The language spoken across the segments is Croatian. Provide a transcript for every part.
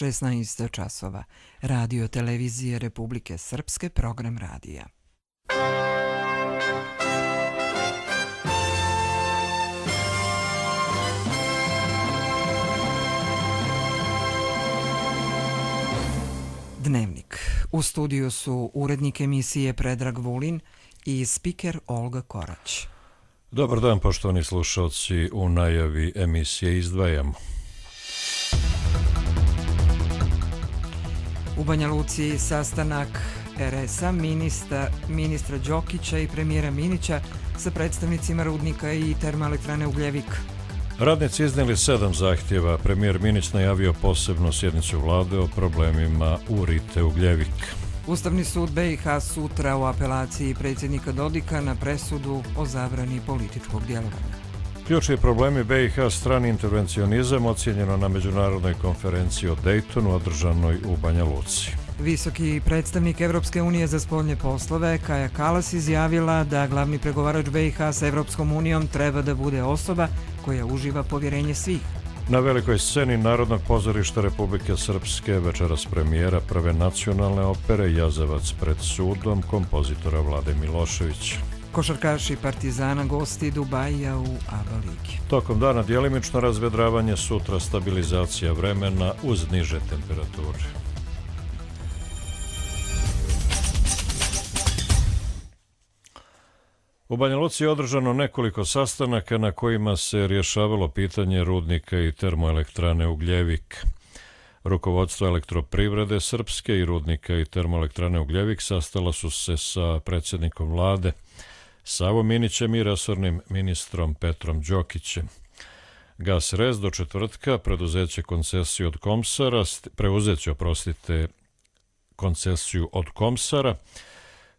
16 časova. Radio televizije Republike Srpske, program radija. Dnevnik. U studiju su urednik emisije Predrag Vulin i spiker Olga Korać. Dobar dan, poštovani slušalci. U najavi emisije izdvajamo. U Banja Luci sastanak RS-a, ministra Đokića i premijera Minića sa predstavnicima rudnika i termoelektrane Ugljevik. Radnici iznijeli 7 zahtjeva. Premijer Minić najavio posebnu sjednicu vlade o problemima u Rite Ugljevik. Ustavni sud BiH sutra u apelaciji predsjednika Dodika na presudu o zabrani političkog djelovanja. Ključni problemi BiH, strani intervencionizam, ocijenjeno na međunarodnoj konferenciji o Dejtonu održanoj u Banja Luci. Visoki predstavnik Evropske unije za spoljne poslove Kaja Kallas izjavila da glavni pregovarač BiH sa Evropskom unijom treba da bude osoba koja uživa povjerenje svih. Na velikoj sceni Narodnog pozorišta Republike Srpske večeras premijera prve nacionalne opere Jazavac pred sudom kompozitora Vlade Miloševića. Košarkaši Partizana gosti Dubajija u ABA ligi. Tokom dana djelimično razvedravanje, sutra stabilizacija vremena uz niže temperature. U Banja Luci je održano nekoliko sastanaka na kojima se rješavalo pitanje rudnika i termoelektrane Ugljevik. Rukovodstvo Elektroprivrede Srpske i rudnika i termoelektrane Ugljevik sastala su se sa predsjednikom vlade Savom Minićem i resornim ministrom Petrom Đokićem. Gas Rez do četvrtka preuzeće koncesiju od Komsara,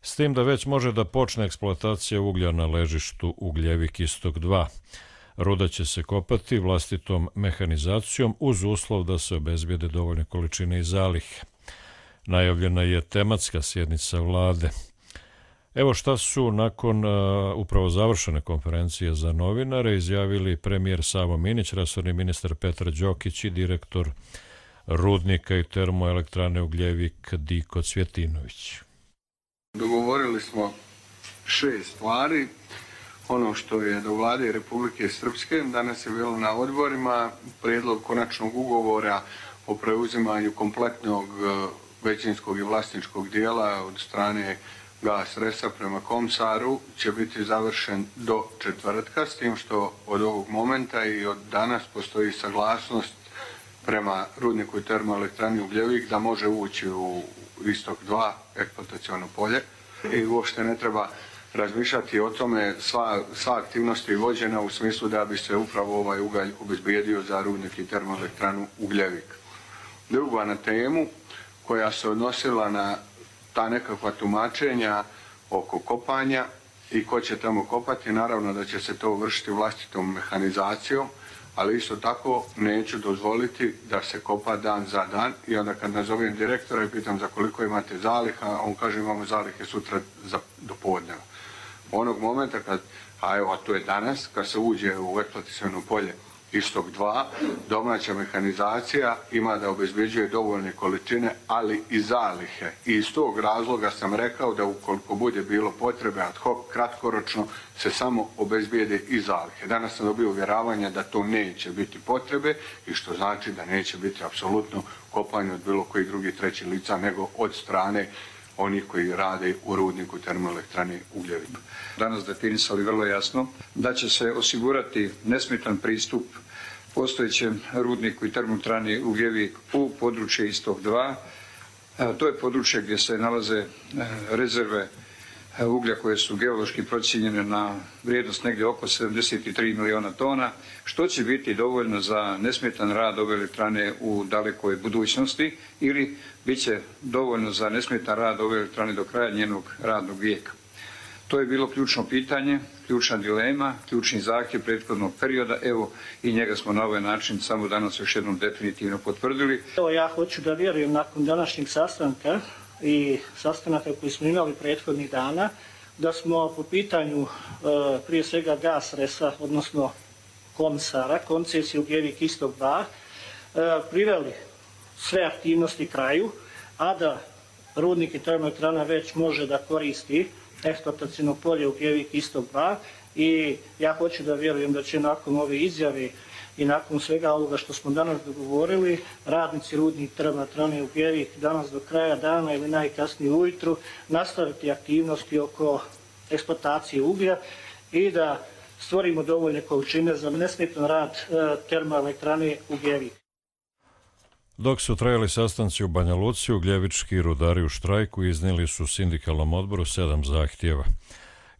s tim da već može da počne eksploatacija uglja na ležištu Ugljevik Istok 2. Ruda će se kopati vlastitom mehanizacijom uz uslov da se obezbijede dovoljne količine i zalihe. Najavljena je tematska sjednica vlade. Evo šta su nakon upravo završene konferencije za novinare izjavili premijer Savo Minić, resorni ministar Petar Đokić i direktor rudnika i termoelektrane Ugljevik Diko Cvjetinović. Dogovorili smo 6 stvari. Ono što je do vlade Republike Srpske, danas je bilo na odborima, prijedlog konačnog ugovora o preuzimanju kompletnog većinskog i vlasničkog dijela od strane Gas Resa prema Komsaru će biti završen do četvrtka, s tim što od ovog momenta i od danas postoji saglasnost prema rudniku i termoelektrani Ugljevik da može ući u Istok 2 eksploataciono polje i uopšte ne treba razmišljati o tome, sva aktivnost je vođena u smislu da bi se upravo ovaj ugalj obezbijedio za rudnik i termoelektranu Ugljevik. Druga na temu koja se odnosila na ta nekakva tumačenja oko kopanja i ko će tamo kopati, naravno da će se to vršiti vlastitom mehanizacijom, ali isto tako neću dozvoliti da se kopa dan za dan i onda kad nazovem direktora i pitam za koliko imate zaliha, on kaže imamo zalihe sutra do podneva. Onog momenta kad, a to je danas, kad se uđe u eksploataciono polje Istok 2, domaća mehanizacija ima da obezbeđuje dovoljne količine, ali i zalihe. I iz tog razloga sam rekao da ukoliko bude bilo potrebe ad hoc, kratkoročno, se samo obezbijede i zalihe. Danas sam dobio uvjeravanje da to neće biti potrebe i što znači da neće biti apsolutno kopanje od bilo kojih drugih trećih lica nego od strane onih koji rade u rudniku termoelektrane Ugljevik. Danas definisali vrlo jasno da će se osigurati nesmetan pristup postojećem rudniku i termoelektrani Ugljevik u područje Istok 2. To je područje gdje se nalaze rezerve uglja koje su geološki procijenjene na vrijednost negdje oko 73 miliona tona, što će biti dovoljno za nesmetan rad ove elektrane u dalekoj budućnosti ili bit će dovoljno za nesmetan rad ove elektrane do kraja njenog radnog vijeka. To je bilo ključno pitanje, ključna dilema, ključni zahtjev prethodnog perioda, evo i njega smo na ovaj način samo danas još jednom definitivno potvrdili. Evo ja hoću da vjerujem nakon današnjeg sastanka i sastanaka koji smo imali prethodnih dana, da smo po pitanju prije svega Gas Resa, odnosno Komsara, koncesiju Ugljevik Istok 2, priveli sve aktivnosti kraju, a da rudnik i termoelektrana već može da koristi eksploatacijno polje Ugljevik Istok 2 i ja hoću da vjerujem da će nakon ove izjave i nakon svega ovoga što smo danas dogovorili, radnici rudnik termoelektrane Ugljevik danas do kraja dana ili najkasnije ujutru nastaviti aktivnosti oko eksploatacije uglja i da stvorimo dovoljne količine za nesmetan rad termoelektrane Ugljevik. Dok su trajali sastanci u Banja Luci, ugljevički rudari u štrajku iznijeli su sindikalnom odboru 7 zahtjeva.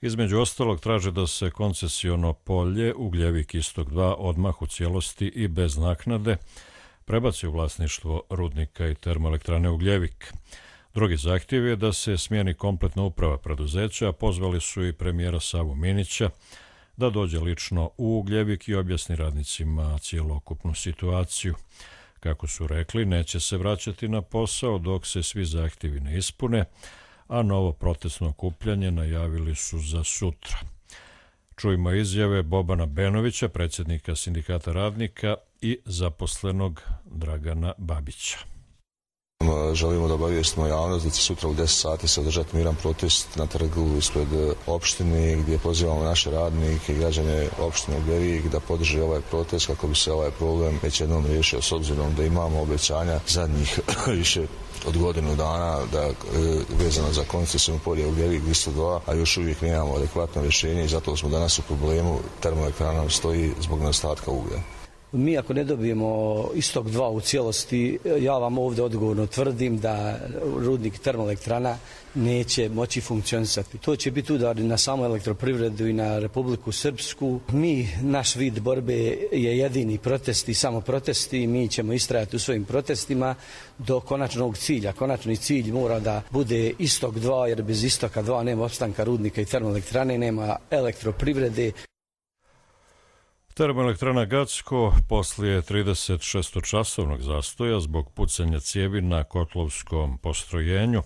Između ostalog traže da se koncesiono polje Ugljevik Istok 2 odmah u cijelosti i bez naknade prebaci u vlasništvo rudnika i termoelektrane Ugljevik. Drugi zahtjev je da se smijeni kompletna uprava preduzeća, a pozvali su i premijera Savu Minića da dođe lično u Ugljevik i objasni radnicima cijelokupnu situaciju. Kako su rekli, neće se vraćati na posao dok se svi zahtjevi ne ispune, a novo protestno okupljanje najavili su za sutra. Čujmo izjave Bobana Benovića, predsjednika Sindikata radnika i zaposlenog Dragana Babića. Želimo da obavijestimo javnost da će sutra u 10 sati se održati miran protest na trgu ispred opštine gdje pozivamo naše radnike i građane opštine Ugljevik da podrže ovaj protest kako bi se ovaj problem već jednom riješio, s obzirom da imamo obećanja zadnjih više od godinu dana da vezano za koncesijno polje Ugljevik Istok 2, a još uvijek nemamo adekvatno rješenje i zato smo danas u problemu. Termoelektrana nam stoji zbog nedostatka uglja. Mi ako ne dobijemo Istok 2 u cijelosti, ja vam ovdje odgovorno tvrdim da rudnik termoelektrana neće moći funkcionisati. To će biti udar na samu elektroprivredu i na Republiku Srpsku. Naš vid borbe je jedini protest i samo protesti. Mi ćemo istrajati u svojim protestima do konačnog cilja. Konačni cilj mora da bude Istok 2, jer bez Istoka 2 nema opstanka rudnika i termoelektrane, nema elektroprivrede. Termoelektrana Gacko poslije 36-časovnog zastoja zbog pucanja cijevi na kotlovskom postrojenju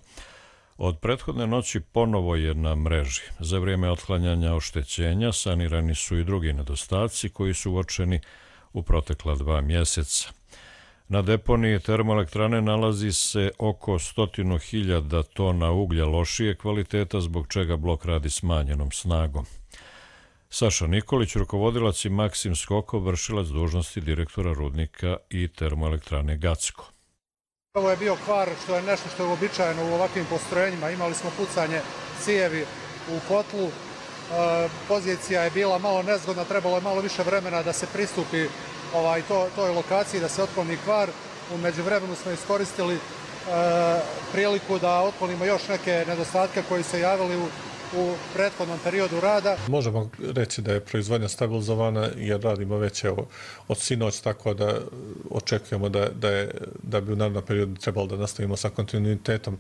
od prethodne noći ponovo je na mreži. Za vrijeme otklanjanja oštećenja sanirani su i drugi nedostaci koji su uočeni u protekla 2 mjeseca. Na deponiji termoelektrane nalazi se oko 100.000 tona uglja lošije kvaliteta, zbog čega blok radi smanjenom snagom. Saša Nikolić, rukovodilac, i Maksim Skokov, vršilac dužnosti direktora rudnika i termoelektrane Gacko. Ovo je bio kvar, što je nešto što je uobičajeno u ovakvim postrojenjima. Imali smo pucanje cijevi u kotlu. Pozicija je bila malo nezgodna, trebalo je malo više vremena da se pristupi toj lokaciji, da se otkloni kvar. U međuvremenu smo iskoristili priliku da otklonimo još neke nedostatke koji se javili u prethodnom periodu rada. Možemo reći da je proizvodnja stabilizovana jer radimo već od sinoć, tako da očekujemo da bi u narednom periodu trebalo da nastavimo sa kontinuitetom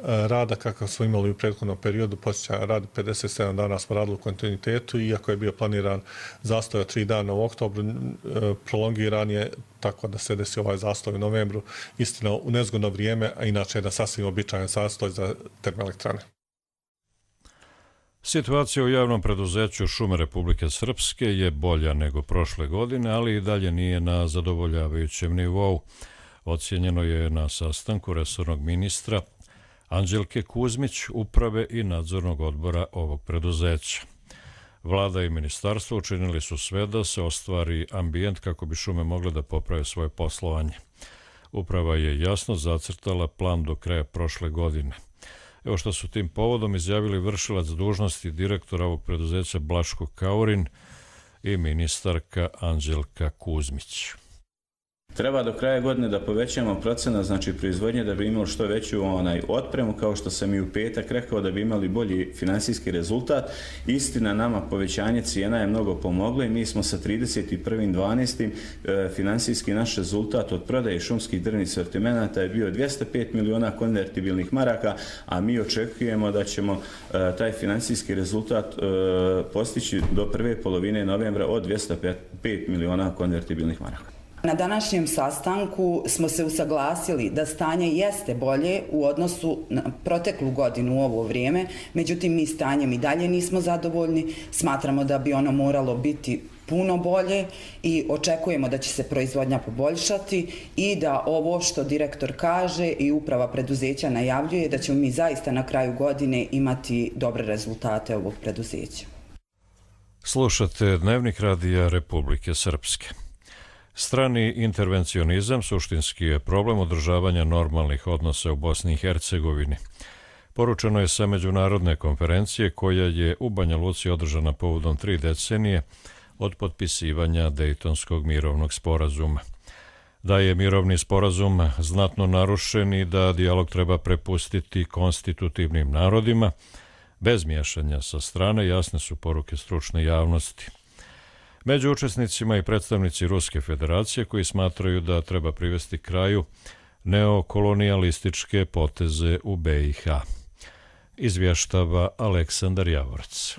rada kakav smo imali u prethodnom periodu. Počeća rad 57 dana smo radili u kontinuitetu, iako je bio planiran zastoj od 3 dana u oktobru, prolongiran je tako da se desi ovaj zastoj u novembru. Istina u nezgodno vrijeme, a inače je da sasvim običajan zastoj za termoelektrane. Situacija u javnom preduzeću Šume Republike Srpske je bolja nego prošle godine, ali i dalje nije na zadovoljavajućem nivou. Ocijenjeno je na sastanku resornog ministra Anđelke Kuzmić, uprave i nadzornog odbora ovog preduzeća. Vlada i ministarstvo učinili su sve da se ostvari ambijent kako bi šume mogle da poprave svoje poslovanje. Uprava je jasno zacrtala plan do kraja prošle godine. Evo što su tim povodom izjavili vršilac dužnosti direktora ovog preduzeća Blaško Kaurin i ministarka Anđelka Kuzmić. Treba do kraja godine da povećamo procenat, znači proizvodnje, da bi imali što veću otpremu, kao što sam i u petak rekao, da bi imali bolji finansijski rezultat. Istina, nama povećanje cijena je mnogo pomoglo i mi smo sa 31.12. finansijski naš rezultat od prodaje šumskih drvnih sortimenata je bio 205 miliona konvertibilnih maraka, a mi očekujemo da ćemo taj finansijski rezultat postići do prve polovine novembra od 205 miliona konvertibilnih maraka. Na današnjem sastanku smo se usaglasili da stanje jeste bolje u odnosu na proteklu godinu u ovo vrijeme, međutim mi stanjem i dalje nismo zadovoljni, smatramo da bi ono moralo biti puno bolje i očekujemo da će se proizvodnja poboljšati i da ovo što direktor kaže i uprava preduzeća najavljuje da ćemo mi zaista na kraju godine imati dobre rezultate ovog preduzeća. Slušate Dnevnik radija Republike Srpske. Strani intervencionizam suštinski je problem održavanja normalnih odnosa u Bosni i Hercegovini. Poručeno je sa međunarodne konferencije koja je u Banja Luci održana povodom 3 decenije od potpisivanja Dejtonskog mirovnog sporazuma. Da je mirovni sporazum znatno narušen i da dijalog treba prepustiti konstitutivnim narodima, bez miješanja sa strane, jasne su poruke stručne javnosti. Među učesnicima i predstavnici Ruske federacije koji smatraju da treba privesti kraju neokolonijalističke poteze u BiH. Izvještava Aleksandar Javorac.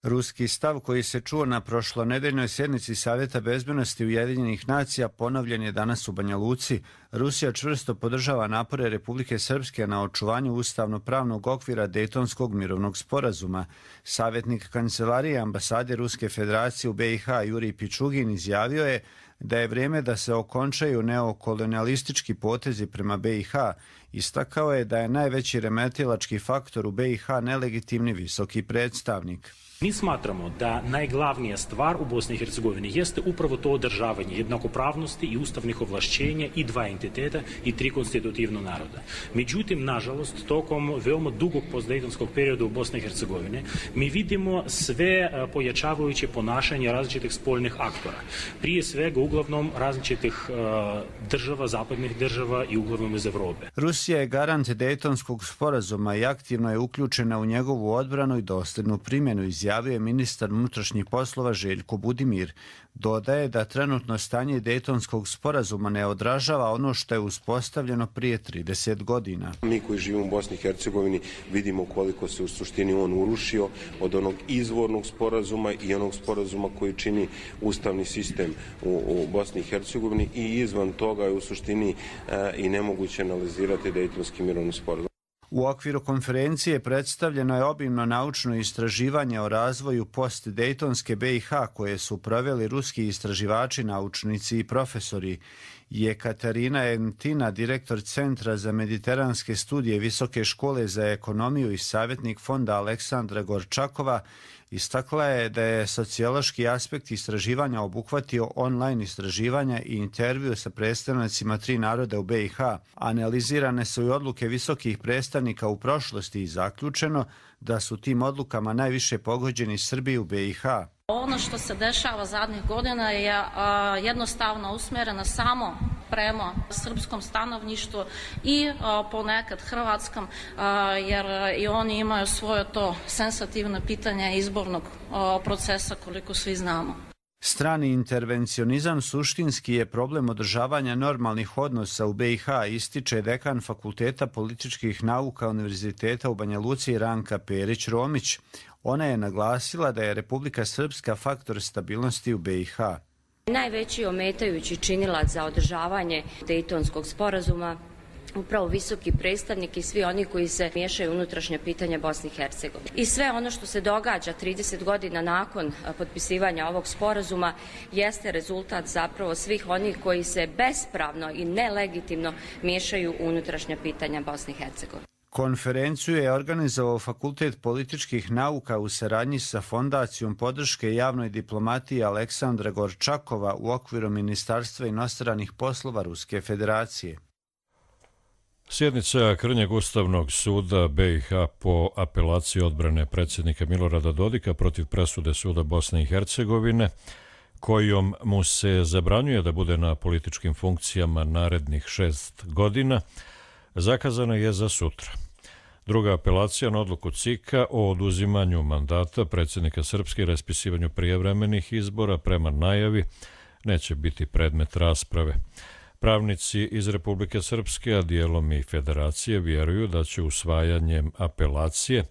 Ruski stav koji se čuo na prošlonedeljnoj sjednici Savjeta bezbednosti Ujedinjenih nacija ponovljen je danas u Banja Luci. Rusija čvrsto podržava napore Republike Srpske na očuvanju ustavno-pravnog okvira Dejtonskog mirovnog sporazuma. Savjetnik kancelarije ambasade Ruske federacije u BiH Jurij Pičugin izjavio je da je vrijeme da se okončaju neokolonialistički potezi prema BiH. Istakao je da je najveći remetilački faktor u BiH nelegitimni visoki predstavnik. Mi smatramo da najglavnija stvar u Bosni i Hercegovini jeste upravo to održavanje jednakopravnosti i ustavnih ovlašćenja i 2 entiteta i 3 konstitutivna naroda. Međutim, nažalost, tokom veoma dugog postdejtonskog perioda u Bosni i Hercegovini mi vidimo sve pojačavajuće ponašanje različitih spoljnih aktora. Prije svega, uglavnom, različitih država, zapadnih država i uglavnom iz Evrope. Rusija je garant Dejtonskog sporazuma i aktivno je uključena u njegovu odbranu i dosljednu primjenu, izjavio je ministar unutrašnjih poslova Željko Budimir. Dodaje da trenutno stanje Dejtonskog sporazuma ne odražava ono što je uspostavljeno prije 30 godina. Mi koji živimo u Bosni i Hercegovini vidimo koliko se u suštini on urušio od onog izvornog sporazuma i onog sporazuma koji čini ustavni sistem u Bosni i Hercegovini i izvan toga je u suštini i nemoguće analizirati Dejtonski mirovni sporazum. U okviru konferencije predstavljeno je obimno naučno istraživanje o razvoju post-dejtonske BiH koje su proveli ruski istraživači, naučnici i profesori. Jekaterina Entina, direktor Centra za mediteranske studije Visoke škole za ekonomiju i savjetnik fonda Aleksandra Gorčakova, istakla je da je sociološki aspekt istraživanja obuhvatio online istraživanja i intervju sa predstavnicima 3 naroda u BiH. Analizirane su i odluke visokih predstavnika u prošlosti i zaključeno da su tim odlukama najviše pogođeni Srbi u BiH. Ono što se dešava zadnjih godina je jednostavno usmjereno samo prema srpskom stanovništvu i ponekad hrvatskom, jer i oni imaju svoje to senzitivno pitanje izbornog procesa, koliko svi znamo. Strani intervencionizam suštinski je problem održavanja normalnih odnosa u BiH, ističe dekan Fakulteta političkih nauka Univerziteta u Banja Luci Ranka Perić-Romić. Ona je naglasila da je Republika Srpska faktor stabilnosti u BiH. Najveći ometajući činilac za održavanje Dejtonskog sporazuma upravo visoki predstavnik i svi oni koji se miješaju unutrašnje pitanje Bosne i Hercegovine. I sve ono što se događa 30 godina nakon potpisivanja ovog sporazuma jeste rezultat zapravo svih onih koji se bespravno i nelegitimno miješaju u unutrašnja pitanja Bosne i Hercegovine. Konferenciju je organizovao Fakultet političkih nauka u saradnji sa Fondacijom podrške javnoj diplomatiji Aleksandra Gorčakova u okviru Ministarstva inostranih poslova Ruske federacije. Sjednica Krnjeg Ustavnog suda BiH po apelaciji odbrane predsjednika Milorada Dodika protiv presude suda Bosne i Hercegovine, kojom mu se zabranjuje da bude na političkim funkcijama narednih 6 godina, zakazana je za sutra. Druga apelacija na odluku CIK-a o oduzimanju mandata predsjednika Srpske i raspisivanju prijevremenih izbora prema najavi neće biti predmet rasprave. Pravnici iz Republike Srpske, a dijelom i Federacije, vjeruju da će usvajanjem apelacije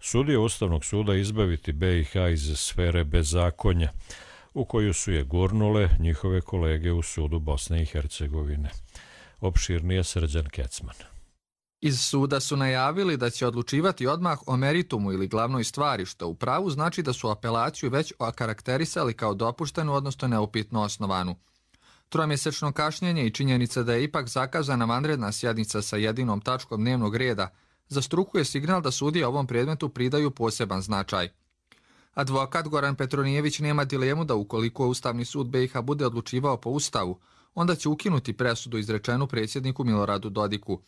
sudije Ustavnog suda izbaviti BiH iz sfere bezakonja. u koju su je gurnule njihove kolege u sudu Bosne i Hercegovine. Opširnije Srđan Kecman. Iz suda su najavili da će odlučivati odmah o meritumu ili glavnoj stvari, što u pravu znači da su apelaciju već okarakterisali kao dopuštenu, odnosno neupitno osnovanu. Tromjesečno kašnjenje i činjenica da je ipak zakazana vanredna sjednica sa jedinom tačkom dnevnog reda za struku je signal da sudije ovom predmetu pridaju poseban značaj. Advokat Goran Petronijević nema dilemu da ukoliko Ustavni sud BiH bude odlučivao po Ustavu, onda će ukinuti presudu izrečenu predsjedniku Miloradu Dodiku.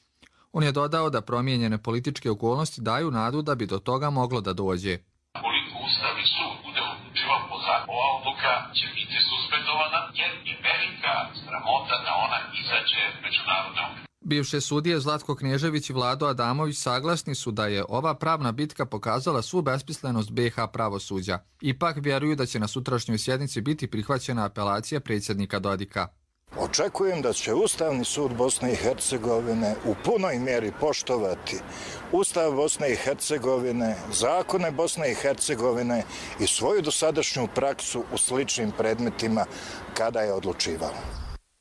On je dodao da promijenjene političke okolnosti daju nadu da bi do toga moglo da dođe. Koliko Ustavni sud bude odlučivao po zakonu, ova odluka će biti suspendovana jer je velika sramota da ona izađe međunarodne okvire. Bivše sudije Zlatko Knježević i Vlado Adamović saglasni su da je ova pravna bitka pokazala svu besmislenost BiH pravosuđa. Ipak vjeruju da će na sutrašnjoj sjednici biti prihvaćena apelacija predsjednika Dodika. Očekujem da će Ustavni sud Bosne i Hercegovine u punoj mjeri poštovati Ustav Bosne i Hercegovine, zakone Bosne i Hercegovine i svoju dosadašnju praksu u sličnim predmetima kada je odlučivalo.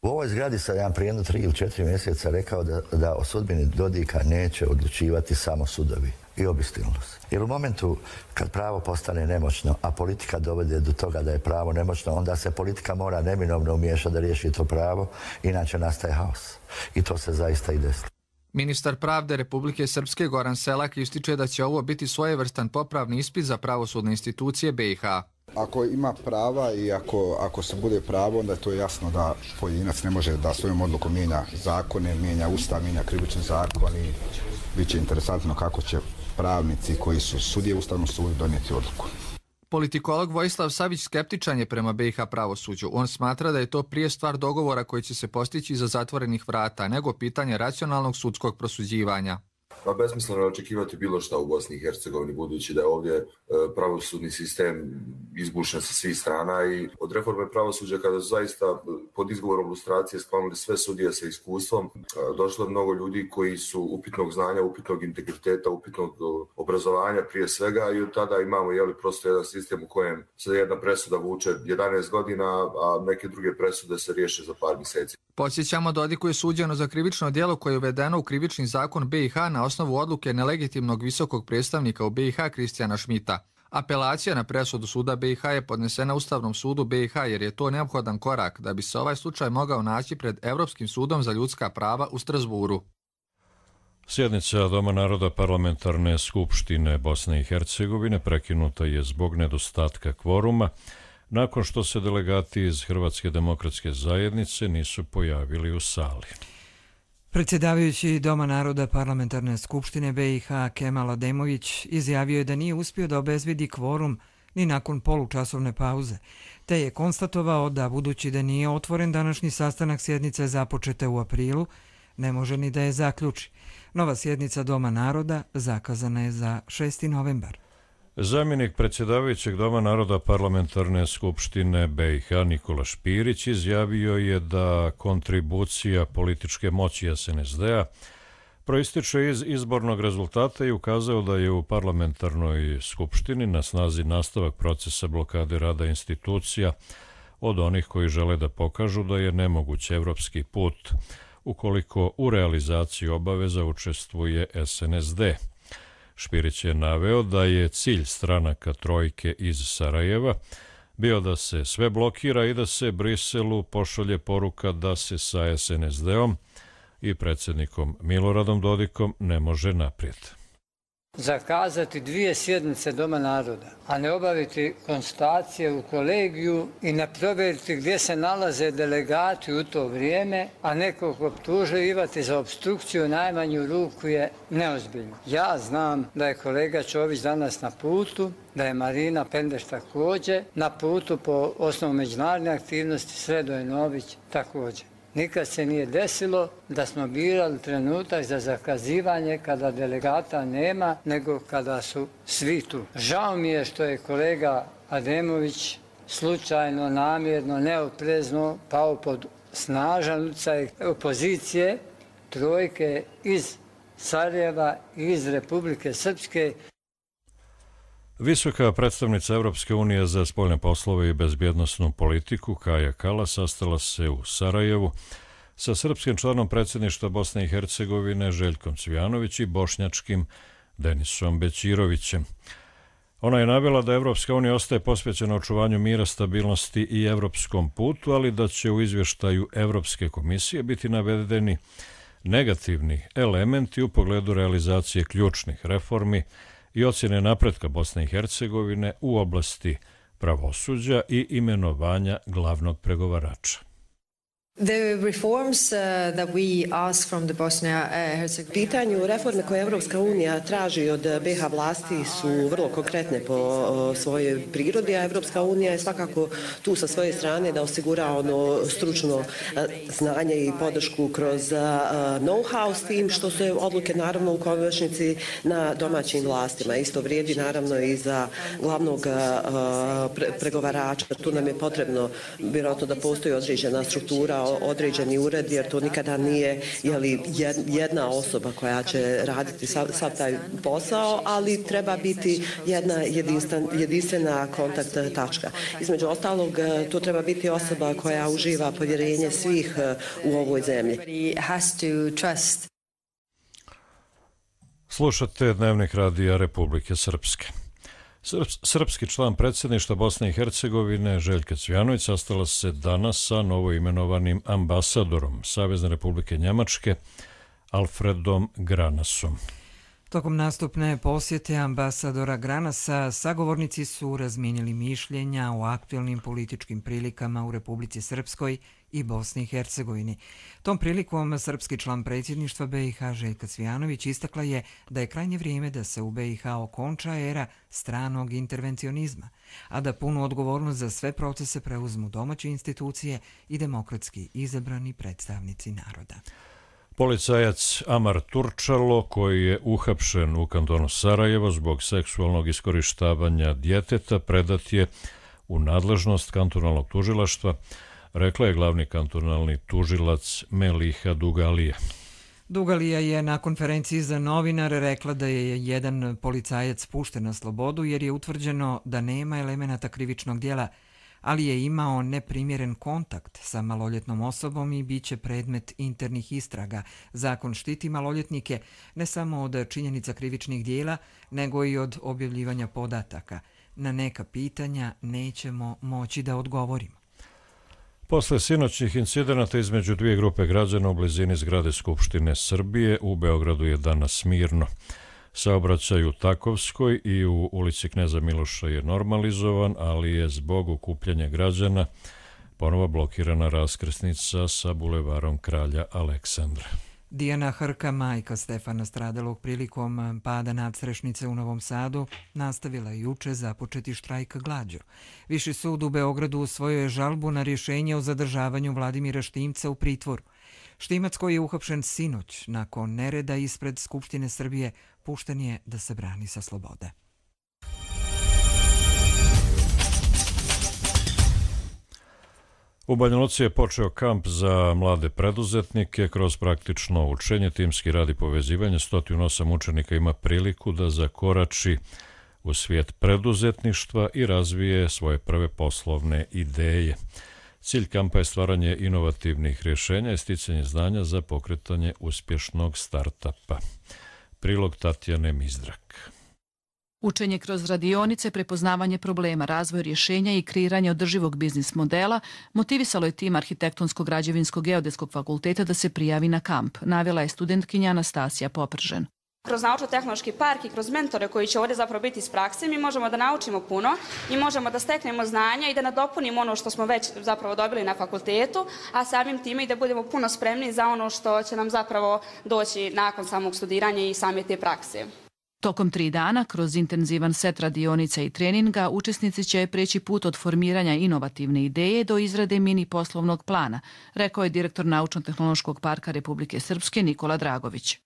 U ovoj zgradi sam ja prije 3 ili 4 mjeseca rekao da o sudbini Dodika neće odlučivati samo sudovi i obistinilo se. Jer u momentu kad pravo postane nemoćno, a politika dovede do toga da je pravo nemoćno, onda se politika mora neminovno umiješati da riješi to pravo, inače nastaje haos. I to se zaista i desi. Ministar pravde Republike Srpske Goran Selak ističe da će ovo biti svojevrstan popravni ispit za pravosudne institucije BiH. Ako ima prava i ako se bude pravo, onda je to jasno da pojedinac ne može da svojom odlukom mijenja zakone, mijenja ustav, mijenja krivični zakon i bit će interesantno kako će pravnici koji su sudije Ustavnom sudu donijeti odluku. Politikolog Vojislav Savić skeptičan je prema BiH pravosuđu. On smatra da je to prije stvar dogovora koji će se postići iza zatvorenih vrata, nego pitanje racionalnog sudskog prosuđivanja. Pa besmisleno je očekivati bilo šta u Bosni i Hercegovini, budući da je ovdje pravosudni sistem izbušen sa svih strana i od reforme pravosuđa kada su zaista pod izgovorom lustracije sklonili sve sudije sa iskustvom, došlo je mnogo ljudi koji su upitnog znanja, upitnog integriteta, upitnog obrazovanja prije svega i od tada imamo prosto jedan sistem u kojem se jedna presuda vuče 11 godina, a neke druge presude se riješe za par mjeseci. Podsjećamo, Dodiku je suđeno za krivično djelo koje je uvedeno u krivični zakon BiH na osnovu odluke nelegitimnog visokog predstavnika u BiH Kristijana Šmita. Apelacija na presudu suda BiH je podnesena Ustavnom sudu BiH jer je to neophodan korak da bi se ovaj slučaj mogao naći pred Evropskim sudom za ljudska prava u Strasburu. Sjednica Doma naroda Parlamentarne skupštine Bosne i Hercegovine prekinuta je zbog nedostatka kvoruma, nakon što se delegati iz Hrvatske demokratske zajednice nisu pojavili u sali. Predsjedavajući Doma naroda Parlamentarne skupštine BiH Kemal Ademović izjavio je da nije uspio da obezvidi kvorum ni nakon polučasovne pauze, te je konstatovao da budući da nije otvoren današnji sastanak sjednice započete u aprilu, ne može ni da je zaključi. Nova sjednica Doma naroda zakazana je za 6. novembar. Zamjenik predsjedavajućeg Doma naroda Parlamentarne skupštine BiH Nikola Špirić izjavio je da kontribucija političke moći SNSD-a proističe iz izbornog rezultata i ukazao da je u parlamentarnoj skupštini na snazi nastavak procesa blokade rada institucija od onih koji žele da pokažu da je nemoguć evropski put ukoliko u realizaciji obaveza učestvuje SNSD. Špirić je naveo da je cilj stranaka trojke iz Sarajeva bio da se sve blokira i da se Briselu pošalje poruka da se sa SNSD-om i predsjednikom Miloradom Dodikom ne može naprijed. Zakazati 2 sjednice Doma naroda, a ne obaviti konstatacije u kolegiju i ne provjeriti gdje se nalaze delegati u to vrijeme, a nekog optuživati za obstrukciju najmanju ruku je neozbiljno. Ja znam da je kolega Čović danas na putu, da je Marina Pendeš također na putu po osnovu međunarodne aktivnosti, Sredoje Nović također. Nikad se nije desilo da smo birali trenutak za zakazivanje kada delegata nema, nego kada su svi tu. Žao mi je što je kolega Ademović slučajno, namjerno, neoprezno pao pod snažan utjecaj opozicije trojke iz Sarajeva i iz Republike Srpske. Visoka predstavnica Evropske unije za spoljne poslove i bezbjednosnu politiku Kaja Kallas sastala se u Sarajevu sa srpskim članom predsjedništva Bosne i Hercegovine Željkom Cvijanović i bošnjačkim Denisom Bećirovićem. Ona je navela da Evropska unija ostaje posvećena očuvanju mira, stabilnosti i evropskom putu, ali da će u izvještaju Evropske komisije biti navedeni negativni elementi u pogledu realizacije ključnih reformi i ocjene napretka Bosne i Hercegovine u oblasti pravosuđa i imenovanja glavnog pregovarača. Pitanju reforme koje Evropska unija traži od BiH vlasti su vrlo konkretne po svojoj prirodi, a Evropska unija je svakako tu sa svoje strane da osigura ono stručno znanje i podršku kroz know-how, s tim što se odluke naravno u konačnici na domaćim vlastima. Isto vrijedi naravno i za glavnog pregovarača. Tu nam je potrebno vjerojatno da postoji određena struktura, određeni ured, jer to nikada nije jedna osoba koja će raditi sav taj posao, ali treba biti jedna jedinstvena kontakt tačka. Između ostalog, to treba biti osoba koja uživa povjerenje svih u ovoj zemlji. Slušate Dnevnik radija Republike Srpske. Srpski član predsjedništva Bosne i Hercegovine Željka Cvijanović sastala se danas sa novoimenovanim ambasadorom Savezne Republike Njemačke Alfredom Granasom. Tokom nastupne posjete ambasadora Granasa sagovornici su razmijenili mišljenja o aktualnim političkim prilikama u Republici Srpskoj i Bosni i Hercegovini. Tom prilikom srpski član predsjedništva BiH Željka Cvijanović istakla je da je krajnje vrijeme da se u BiH okonča era stranog intervencionizma, a da punu odgovornost za sve procese preuzmu domaće institucije i demokratski izabrani predstavnici naroda. Policajac Amar Turčalo, koji je uhapšen u kantonu Sarajevo zbog seksualnog iskorištavanja djeteta, predat je u nadležnost kantonalnog tužilaštva, rekla je glavni kantonalni tužilac Meliha Dugalija. Dugalija je na konferenciji za novinare rekla da je jedan policajac pušten na slobodu jer je utvrđeno da nema elemenata krivičnog djela, ali je imao neprimjeren kontakt sa maloljetnom osobom i bit će predmet internih istraga. Zakon štiti maloljetnike ne samo od činjenica krivičnih dijela, nego i od objavljivanja podataka. Na neka pitanja nećemo moći da odgovorimo. Posle sinoćnih incidenata između dvije grupe građana u blizini zgrade Skupštine Srbije, u Beogradu je danas mirno. Saobraćaj u Takovskoj i u ulici Kneza Miloša je normalizovan, ali je zbog okupljanja građana ponovo blokirana raskrsnica sa bulevarom Kralja Aleksandra. Dijana Hrka, majka Stefana stradalog prilikom pada nadstrešnice u Novom Sadu, nastavila je juče započeti štrajk glađu. Viši sud u Beogradu usvojio je žalbu na rješenje o zadržavanju Vladimira Štimca u pritvoru. Štimac, koji je uhapšen sinoć nakon nereda ispred Skupštine Srbije, pušten je da se brani sa slobode. U Banja Luci je počeo kamp za mlade preduzetnike. Kroz praktično učenje, timski rad i povezivanje 108 učenika ima priliku da zakorači u svijet preduzetništva i razvije svoje prve poslovne ideje. Cilj kampa je stvaranje inovativnih rješenja i sticanje znanja za pokretanje uspješnog startapa. Prilog Tatjane Mizdrak. Učenje kroz radionice, prepoznavanje problema, razvoj rješenja i kreiranje održivog biznis modela motivisalo je tim Arhitektonsko-građevinskog geodetskog fakulteta da se prijavi na kamp, navela je studentkinja Anastasija Popržen. Kroz naučno-tehnološki park i kroz mentore koji će ovdje zapravo biti iz prakse, mi možemo da naučimo puno i možemo da steknemo znanja i da nadopunimo ono što smo već zapravo dobili na fakultetu, a samim time i da budemo puno spremni za ono što će nam zapravo doći nakon samog studiranja i same te prakse. Tokom 3 dana, kroz intenzivan set radionica i treninga, učesnici će preći put od formiranja inovativne ideje do izrade mini poslovnog plana, rekao je direktor Naučno-tehnološkog parka Republike Srpske Nikola Dragović.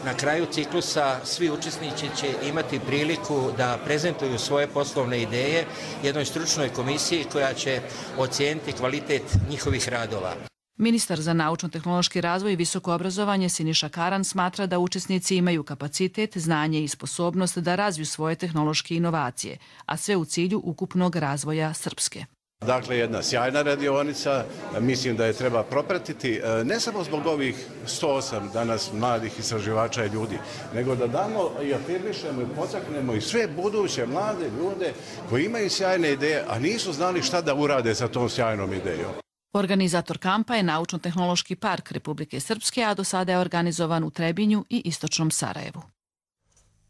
Na kraju ciklusa svi učesnici će imati priliku da prezentuju svoje poslovne ideje jednoj stručnoj komisiji koja će ocijeniti kvalitet njihovih radova. Ministar za naučno-tehnološki razvoj i visoko obrazovanje Siniša Karan smatra da učesnici imaju kapacitet, znanje i sposobnost da razviju svoje tehnološke inovacije, a sve u cilju ukupnog razvoja Srpske. Dakle, jedna sjajna radionica, mislim da je treba propratiti, ne samo zbog ovih 108 danas mladih istraživača i ljudi, nego da damo i afirmišemo i potaknemo i sve buduće mlade ljude koji imaju sjajne ideje, a nisu znali šta da urade sa tom sjajnom idejom. Organizator kampa je Naučno-tehnološki park Republike Srpske, a do sada je organizovan u Trebinju i istočnom Sarajevu.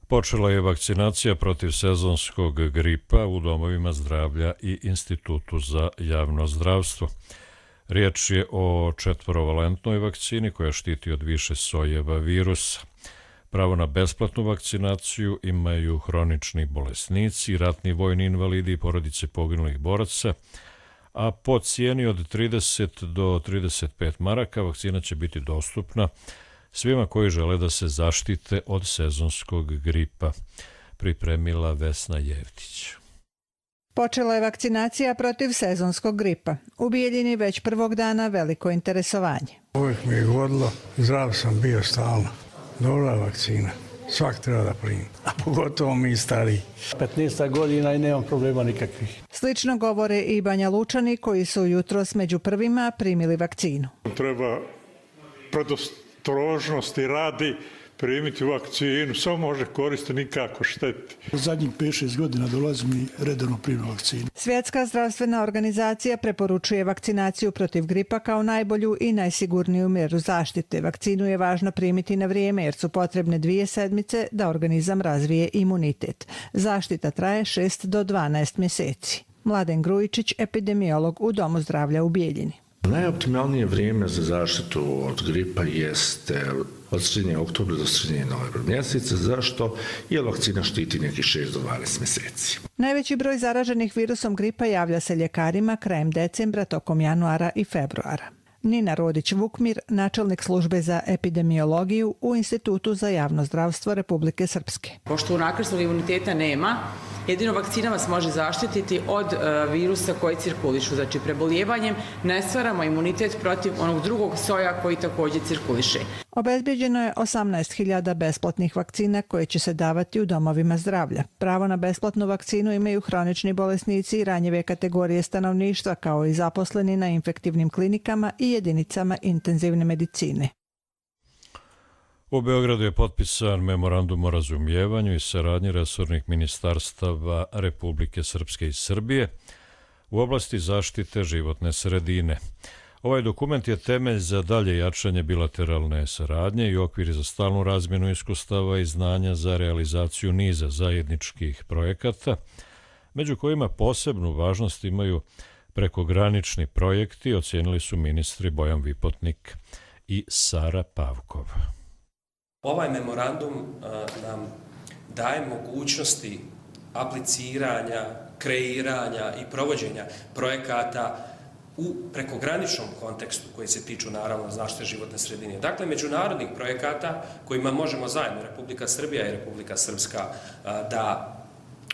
Počela je vakcinacija protiv sezonskog gripa u domovima zdravlja i Institutu za javno zdravstvo. Riječ je o 4-valentnoj vakcini koja štiti od više sojeva virusa. Pravo na besplatnu vakcinaciju imaju hronični bolesnici, ratni vojni invalidi i porodice poginulih boraca, a po cijeni od 30 do 35 maraka vakcina će biti dostupna svima koji žele da se zaštite od sezonskog gripa, pripremila Vesna Jevtić. Počela je vakcinacija protiv sezonskog gripa. U Bijeljini već prvog dana veliko interesovanje. Uvijek mi je godilo, zdrav sam bio stalno. Dobra vakcina, svak treba da primi, a pogotovo mi stariji. 15 godina i nemam problema nikakvih. Slično govore i Banja Lučani koji su jutros među prvima primili vakcinu. Treba predostrožnosti radi primiti vakcinu, samo može koristiti, nikako šteti. Zadnjih 5-6 godina dolazim i redovno primim vakcinu. Svjetska zdravstvena organizacija preporučuje vakcinaciju protiv gripa kao najbolju i najsigurniju mjeru zaštite. Vakcinu je važno primiti na vrijeme jer su potrebne 2 sedmice da organizam razvije imunitet. Zaštita traje 6 do 12 mjeseci. Mladen Grujičić, epidemiolog u Domu zdravlja u Bijeljini. Najoptimalnije vrijeme za zaštitu od gripa jeste od sredine oktobra do sredine novembra mjeseca. Zašto? Jer vakcina štiti nekih 6 do 12 mjeseci. Najveći broj zaraženih virusom gripa javlja se ljekarima krajem decembra, tokom januara i februara. Nina Rodić-Vukmir, načelnik službe za epidemiologiju u Institutu za javno zdravstvo Republike Srpske. Pošto unakrsnog imuniteta nema, jedino vakcina vas može zaštititi od virusa koji cirkulišu. Znači, preboljevanjem ne stvaramo imunitet protiv onog drugog soja koji također cirkuliše. Obezbeđeno je 18.000 besplatnih vakcina koje će se davati u domovima zdravlja. Pravo na besplatnu vakcinu imaju hronični bolesnici i ranjive kategorije stanovništva, kao i zaposleni na infektivnim klinikama i jedinicama intenzivne medicine. U Beogradu je potpisan memorandum o razumijevanju i saradnji resornih ministarstava Republike Srpske i Srbije u oblasti zaštite životne sredine. Ovaj dokument je temelj za dalje jačanje bilateralne saradnje i okvir za stalnu razmjenu iskustava i znanja za realizaciju niza zajedničkih projekata, među kojima posebnu važnost imaju prekogranični projekti, ocijenili su ministri Bojan Vipotnik i Sara Pavkov. Ovaj memorandum nam daje mogućnosti apliciranja, kreiranja i provođenja projekata u prekograničnom kontekstu koji se tiču naravno zaštite životne sredine. Dakle, međunarodnih projekata kojima možemo zajedno Republika Srbija i Republika Srpska da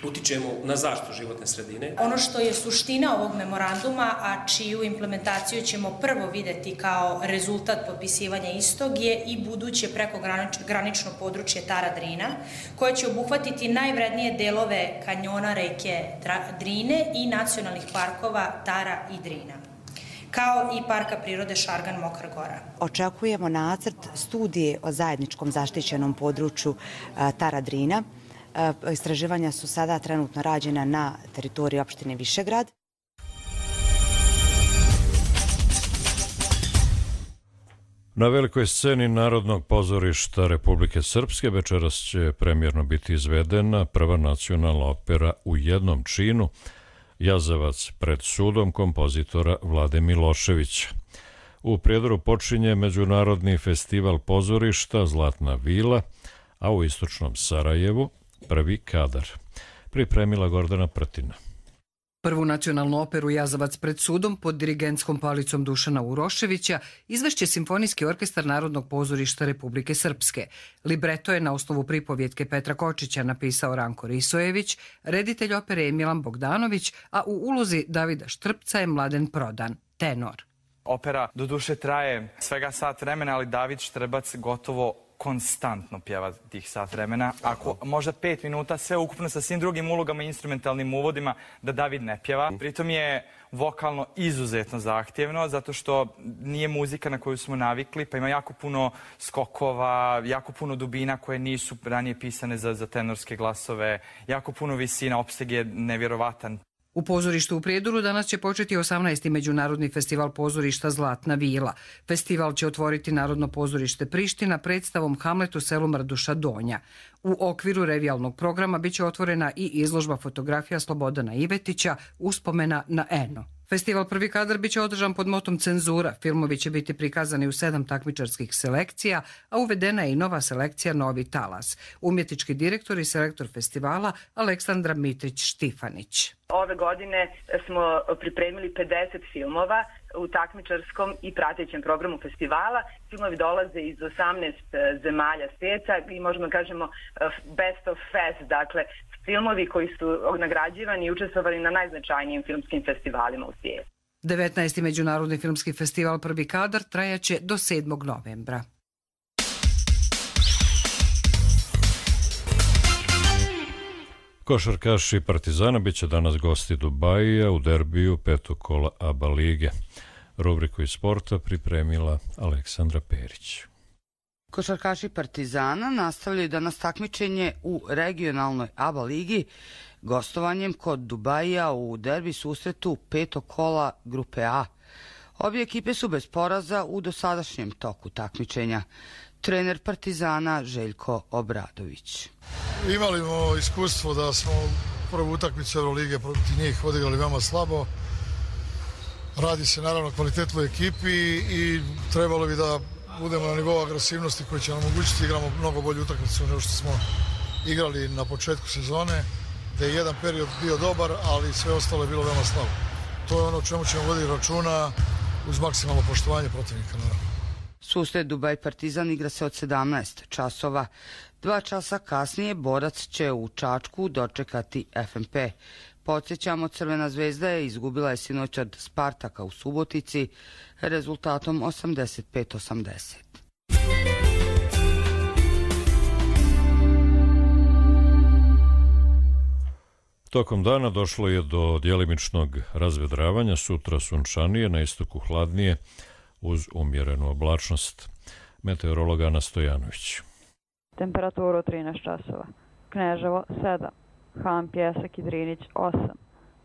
utičemo na zaštitu životne sredine. Ono što je suština ovog memoranduma, a čiju implementaciju ćemo prvo videti kao rezultat potpisivanja istog, je i buduće prekogranično područje Tara Drina, koje će obuhvatiti najvrednije delove kanjona reke Drine i nacionalnih parkova Tara i Drina, kao i Parka prirode Šargan Mokra Gora. Očekujemo nacrt studije o zajedničkom zaštićenom području Tara Drina. Istraživanja su sada trenutno rađena na teritoriji opštine Višegrad. Na velikoj sceni Narodnog pozorišta Republike Srpske večeras će premijerno biti izvedena prva nacionalna opera u jednom činu, Jazavac pred sudom kompozitora Vlade Miloševića. U Prijedoru počinje Međunarodni festival pozorišta Zlatna vila, a u istočnom Sarajevu prvi kadar. Pripremila Gordana Prtina. Prvu nacionalnu operu Jazavac pred sudom pod dirigentskom palicom Dušana Uroševića izvešće Simfonijski orkestar Narodnog pozorišta Republike Srpske. Libreto je na osnovu pripovjetke Petra Kočića napisao Ranko Risojević, reditelj opere je Milan Bogdanović, a u ulozi Davida Štrpca je Mladen Prodan, tenor. Opera doduše traje svega sat vremena, ali David Štrbac gotovo konstantno pjeva tih sat vremena. Ako možda 5 minuta sve ukupno sa svim drugim ulogama i instrumentalnim uvodima da David ne pjeva. Pritom je vokalno izuzetno zahtjevno zato što nije muzika na koju smo navikli, pa ima jako puno skokova, jako puno dubina koje nisu ranije pisane za tenorske glasove, jako puno visina, opseg je nevjerovatan. U pozorištu u Prijedoru danas će početi 18. Međunarodni festival pozorišta Zlatna vila. Festival će otvoriti Narodno pozorište Priština predstavom Hamlet u selu Mrduša Donja. U okviru revijalnog programa biće otvorena i izložba fotografija Slobodana Ivetića Uspomena na Eno. Festival Prvi kadar biće održan pod motom Cenzura. Filmovi će biti prikazani u 7 takmičarskih selekcija, a uvedena je i nova selekcija Novi talas. Umjetnički direktor i selektor festivala Aleksandra Mitrić-Štifanić. Ove godine smo pripremili 50 filmova u takmičarskom i pratećem programu festivala. Filmovi dolaze iz 18 zemalja svijeta i možemo da kažemo best of fest, dakle filmovi koji su nagrađivani i učestvovali na najznačajnijim filmskim festivalima u svijetu. 19. Međunarodni filmski festival Prvi kadar trajaće do 7. novembra. Košarkaši Partizana biće danas gosti Dubajija u derbiju 5. kola ABA lige. Rubriku iz sporta pripremila Aleksandra Perić. Košarkaši Partizana nastavljaju danas takmičenje u regionalnoj ABA ligi gostovanjem kod Dubajija u derbi susretu 5. kola grupe A. Obje ekipe su bez poraza u dosadašnjem toku takmičenja. Trener Partizana Željko Obradović. Imali smo iskustvo da smo prvu utakmicu Eurolige protiv njih odigrali veoma slabo. Radi se naravno kvalitetnoj ekipi i trebalo bi da budemo na nivou agresivnosti koji će nam omogućiti igramo mnogo bolju utakmicu nego što smo igrali na početku sezone, da je jedan period bio dobar, ali sve ostalo je bilo veoma slabo. To je ono o čemu ćemo voditi računa uz maksimalno poštovanje protivnika, naravno. Susret Dubaj Partizan igra se od 17 časova. 2 časa kasnije borac će u Čačku dočekati FNP. Podsjećamo, Crvena zvezda je izgubila sinoć od Spartaka u Subotici rezultatom 85-80. Tokom dana došlo je do djelimičnog razvedravanja, sutra sunčanije, na istoku hladnije, uz umjerenu oblačnost. Meteorolog Ana Stojanović. Temperaturu 13 časova. Kneževo 7, Han Pjesak i Drinić 8,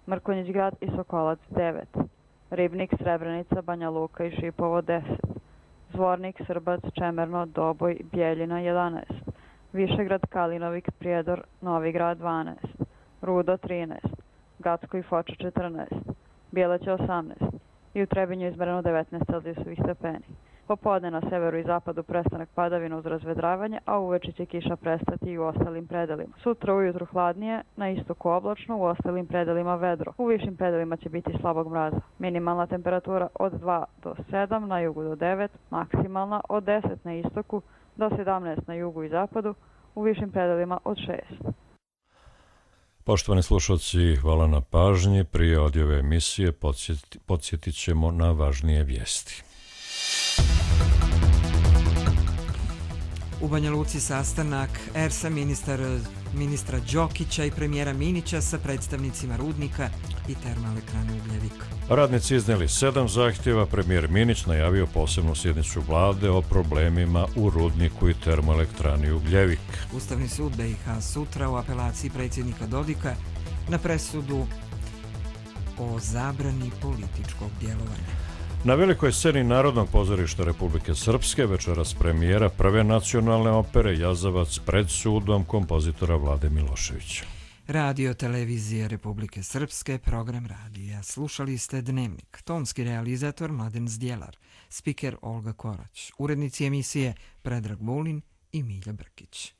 Mrkonjić grad i Sokolac 9, Ribnik, Srebrenica, Banja Luka i Šipovo 10, Zvornik, Srbac, Čemerno, Doboj, Bjeljina 11, Višegrad, Kalinovik, Prijedor, Novi grad 12, Rudo 13, Gacko i Foča 14, Bjeleće 18 i u Trebinju izmereno 19 celzijusovih stepeni. Popodne na severu i zapadu prestanak padavina uz razvedravanje, a uveče će kiša prestati i u ostalim predelima. Sutra ujutru hladnije, na istoku oblačno, u ostalim predelima vedro. U višim predelima će biti slabog mraza. Minimalna temperatura od 2 do 7, na jugu do 9, maksimalna od 10 na istoku do 17 na jugu i zapadu, u višim predelima od 6. Poštovani slušalci, hvala na pažnji. Prije odjave emisije podsjetit ćemo na važnije vijesti. U Banja Luci sastanak ERS-a ministra Đokića i premijera Minića sa predstavnicima rudnika i termoelektrane Ugljevik. Radnici iznijeli 7 zahtjeva, premijer Minić najavio posebnu sjednicu vlade o problemima u rudniku i termoelektrani Ugljevik. Ustavni sud BiH sutra u apelaciji predsjednika Dodika na presudu o zabrani političkog djelovanja. Na velikoj sceni Narodnog pozorišta Republike Srpske večeras premijera prve nacionalne opere Jazavac pred sudom kompozitora Vlade Miloševića. Radio televizije Republike Srpske, program radija. Slušali ste Dnevnik. Tonski realizator Mladen Zdjelar, spiker Olga Korać, urednici emisije Predrag Vulin i Milja Brkić.